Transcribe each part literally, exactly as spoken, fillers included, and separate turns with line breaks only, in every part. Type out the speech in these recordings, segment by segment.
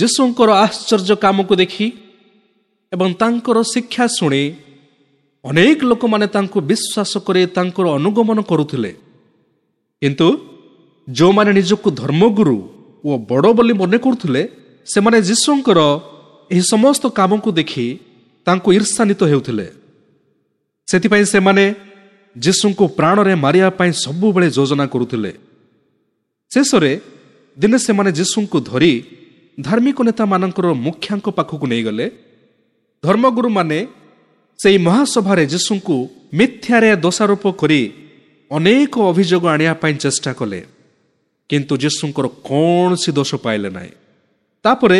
ଯୀଶୁଙ୍କର ଆଶ୍ଚର୍ଯ୍ୟ କାମକୁ ଦେଖି ଏବଂ ତାଙ୍କର ଶିକ୍ଷା ଶୁଣି ଅନେକ ଲୋକମାନେ ତାଙ୍କୁ ବିଶ୍ୱାସ କରି ତାଙ୍କର ଅନୁଗମନ କରୁଥିଲେ। କିନ୍ତୁ ଯେଉଁମାନେ ନିଜକୁ ଧର୍ମଗୁରୁ ଓ ବଡ଼ ବୋଲି ମନେ କରୁଥିଲେ, ସେମାନେ ଯୀଶୁଙ୍କର ଏହି ସମସ୍ତ କାମକୁ ଦେଖି ତାଙ୍କୁ ଈର୍ଷାନ୍ୱିତ ହେଉଥିଲେ। ସେଥିପାଇଁ ସେମାନେ ଯୀଶୁଙ୍କୁ ପ୍ରାଣରେ ମାରିବା ପାଇଁ ସବୁବେଳେ ଯୋଜନା କରୁଥିଲେ। ଶେଷରେ ଦିନେ ସେମାନେ ଯୀଶୁଙ୍କୁ ଧରି ଧାର୍ମିକ ନେତାମାନଙ୍କର ମୁଖ୍ୟାଙ୍କ ପାଖକୁ ନେଇଗଲେ। ଧର୍ମଗୁରୁମାନେ ସେହି ମହାସଭାରେ ଯୀଶୁଙ୍କୁ ମିଥ୍ୟାରେ ଦୋଷାରୋପ କରି ଅନେକ ଅଭିଯୋଗ ଆଣିବା ପାଇଁ ଚେଷ୍ଟା କଲେ, କିନ୍ତୁ ଯୀଶୁଙ୍କର କୌଣସି ଦୋଷ ପାଇଲେ ନାହିଁ। ତାପରେ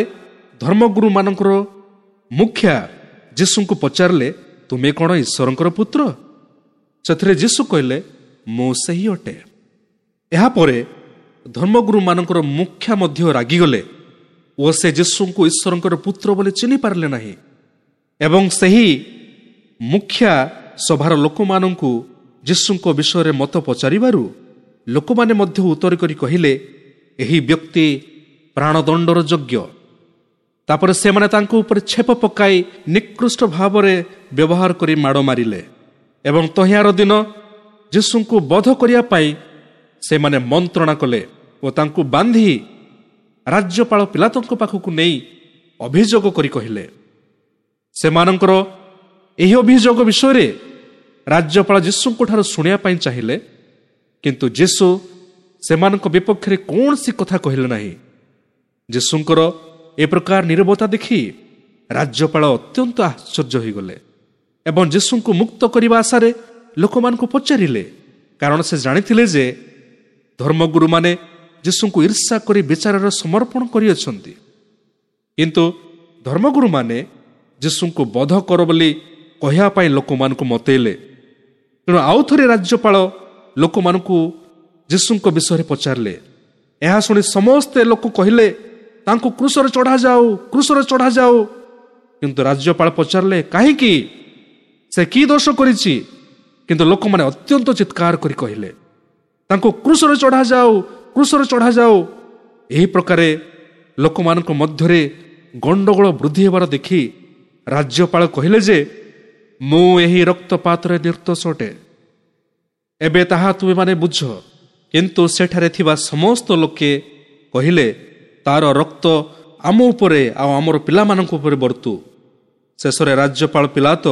ଧର୍ମଗୁରୁମାନଙ୍କର ମୁଖ୍ୟା ଯୀଶୁଙ୍କୁ ପଚାରିଲେ, ତୁମେ କ'ଣ ଈଶ୍ୱରଙ୍କର ପୁତ୍ର? ସେଥିରେ ଯୀଶୁ କହିଲେ, ମୁଁ ସେହି ଅଟେ। ଏହାପରେ ଧର୍ମଗୁରୁମାନଙ୍କର ମୁଖ୍ୟା ମଧ୍ୟ ରାଗିଗଲେ ଓ ସେ ଯୀଶୁଙ୍କୁ ଈଶ୍ୱରଙ୍କର ପୁତ୍ର ବୋଲି ଚିହ୍ନି ପାରିଲେ ନାହିଁ ଏବଂ ସେହି ମୁଖ୍ୟା ସଭାର ଲୋକମାନଙ୍କୁ ଯୀଶୁଙ୍କ ବିଷୟରେ ମତ ପଚାରିବାରୁ ଲୋକମାନେ ମଧ୍ୟ ଉତ୍ତର କରି କହିଲେ, ଏହି ବ୍ୟକ୍ତି ପ୍ରାଣଦଣ୍ଡର ଯୋଗ୍ୟ। ତାପରେ ସେମାନେ ତାଙ୍କ ଉପରେ ଛେପ ପକାଇ ନିକୃଷ୍ଟ ଭାବରେ ବ୍ୟବହାର କରି ମାଡ଼ ମାରିଲେ ଏବଂ ତହିଁର ଦିନ ଯୀଶୁଙ୍କୁ ବଧ କରିବା ପାଇଁ ସେମାନେ ମନ୍ତ୍ରଣା କଲେ ଓ ତାଙ୍କୁ ବାନ୍ଧି ରାଜ୍ୟପାଳ ପିଲାତଙ୍କ ପାଖକୁ ନେଇ ଅଭିଯୋଗ କରି କହିଲେ। ସେମାନଙ୍କର ଏହି ଅଭିଯୋଗ ବିଷୟରେ ରାଜ୍ୟପାଳ ଯୀଶୁଙ୍କ ଠାରୁ ଶୁଣିବା ପାଇଁ ଚାହିଁଲେ, କିନ୍ତୁ ଯୀଶୁ ସେମାନଙ୍କ ବିପକ୍ଷରେ କୌଣସି କଥା କହିଲେ ନାହିଁ। ଯୀଶୁଙ୍କର ଏ ପ୍ରକାର ନିରବତା ଦେଖି ରାଜ୍ୟପାଳ ଅତ୍ୟନ୍ତ ଆଶ୍ଚର୍ଯ୍ୟ ହୋଇଗଲେ ଏବଂ ଯୀଶୁଙ୍କୁ ମୁକ୍ତ କରିବା ଆଶାରେ ଲୋକମାନଙ୍କୁ ପଚାରିଲେ, କାରଣ ସେ ଜାଣିଥିଲେ ଯେ ଧର୍ମଗୁରୁମାନେ ଯୀଶୁଙ୍କୁ ଈର୍ଷା କରି ବିଚାରରେ ସମର୍ପଣ କରିଅଛନ୍ତି। କିନ୍ତୁ ଧର୍ମଗୁରୁମାନେ ଯୀଶୁଙ୍କୁ ବଧ କର ବୋଲି କହିବା ପାଇଁ ଲୋକମାନଙ୍କୁ ମତେଇଲେ। ତେଣୁ ଆଉ ଥରେ ରାଜ୍ୟପାଳ ଲୋକମାନଙ୍କୁ ଯୀଶୁଙ୍କ ବିଷୟରେ ପଚାରିଲେ। ଏହା ଶୁଣି ସମସ୍ତେ ଲୋକ କହିଲେ, ତାଙ୍କୁ କ୍ରୁଶରେ ଚଢ଼ାଯାଉ, କ୍ରୁଶରେ ଚଢ଼ାଯାଉ। କିନ୍ତୁ ରାଜ୍ୟପାଳ ପଚାରିଲେ, କାହିଁକି? ସେ କି ଦୋଷ କରିଛି? କିନ୍ତୁ ଲୋକମାନେ ଅତ୍ୟନ୍ତ ଚିତ୍କାର କରି କହିଲେ, ତାଙ୍କୁ କ୍ରୁଶରେ ଚଢ଼ାଯାଉ, କ୍ରୁଶରେ ଚଢ଼ାଯାଉ। ଏହି ପ୍ରକାରେ ଲୋକମାନଙ୍କ ମଧ୍ୟରେ ଗଣ୍ଡଗୋଳ ବୃଦ୍ଧି ହେବାର ଦେଖି ରାଜ୍ୟପାଳ କହିଲେ ଯେ, ମୁଁ ଏହି ରକ୍ତପାତରେ ନିର୍ଦ୍ଦୋଷ ଅଟେ, ଏବେ ତାହା ତୁମେମାନେ ବୁଝ। କିନ୍ତୁ ସେଠାରେ ଥିବା ସମସ୍ତ ଲୋକେ କହିଲେ, ତାର ରକ୍ତ ଆମ ଉପରେ ଆଉ ଆମର ପିଲାମାନଙ୍କ ଉପରେ ବର୍ତ୍ତୁ। ଶେଷରେ ରାଜ୍ୟପାଳ ପିଲାତ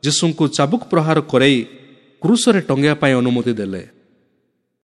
ଯୀଶୁଙ୍କୁ ଚାବୁକ ପ୍ରହାର କରାଇ କ୍ରୁଶରେ ଟଙ୍ଗିବା ପାଇଁ ଅନୁମତି ଦେଲେ।